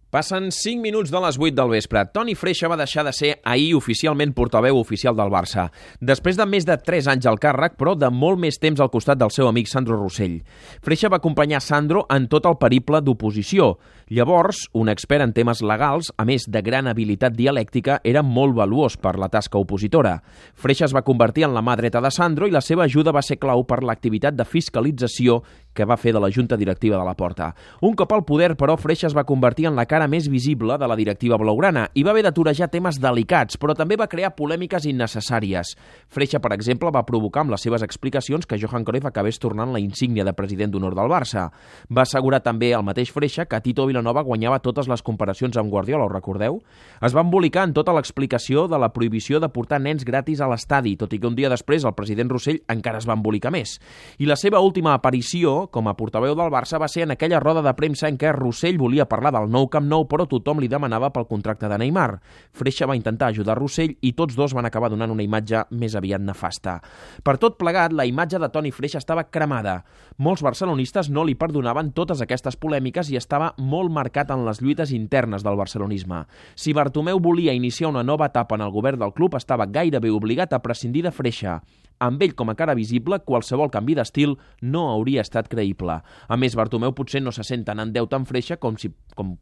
Passen 5 minuts de les 8 del vespre. Toni Freixa va deixar de ser ahir oficialment portaveu oficial del Barça. Després de més de 3 anys al càrrec, però de molt més temps al costat del seu amic Sandro Rosell. Freixa va acompanyar Sandro en tot el periple d'oposició. Llavors, un expert en temes legals, a més de gran habilitat dialèctica, era molt valuós per la tasca opositora. Freixa es va convertir en la mà dreta de Sandro i la seva ajuda va ser clau per l'activitat de fiscalització que va fer de la Junta Directiva de la Porta. Un cop al poder, però, Freixa es va convertir en la cara més visible de la directiva blaugrana i va haver de torejar temes delicats, però també va crear polèmiques innecessàries. Freixa, per exemple, va provocar amb les seves explicacions que Johan Cruyff acabés tornant la insígnia de president d'honor del Barça. Va assegurar també el mateix Freixa que Tito Vilanova guanyava totes les comparacions amb Guardiola, ho recordeu? Es va embolicar en tota l'explicació de la prohibició de portar nens gratis a l'estadi, tot i que un dia després el president Rosell encara es va embolicar més. I la seva última aparició com a portaveu del Barça va ser en aquella roda de premsa en què Rosell volia parlar del nou Camp Nou, però tothom li demanava pel contracte de Neymar. Freixa va intentar ajudar Rosell i tots dos van acabar donant una imatge més aviat nefasta. Per tot plegat, la imatge de Toni Freixa estava cremada. Molts barcelonistes no li perdonaven totes aquestes polèmiques i estava molt marcat en les lluites internes del barcelonisme. Si Bartomeu volia iniciar una nova etapa en el govern del club, estava gairebé obligat a prescindir de Freixa. Amb ell com a cara visible, qualsevol canvi d'estil no hauria estat creïble. A més, Bartomeu potser no se sent tan en deute amb Freixa com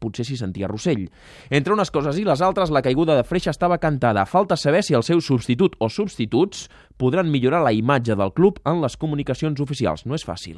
potser s'hi sentia Rosell. Entre unes coses i les altres, la caiguda de Freixa estava cantada. Falta saber si el seu substitut o substituts podran millorar la imatge del club en les comunicacions oficials. No és fàcil.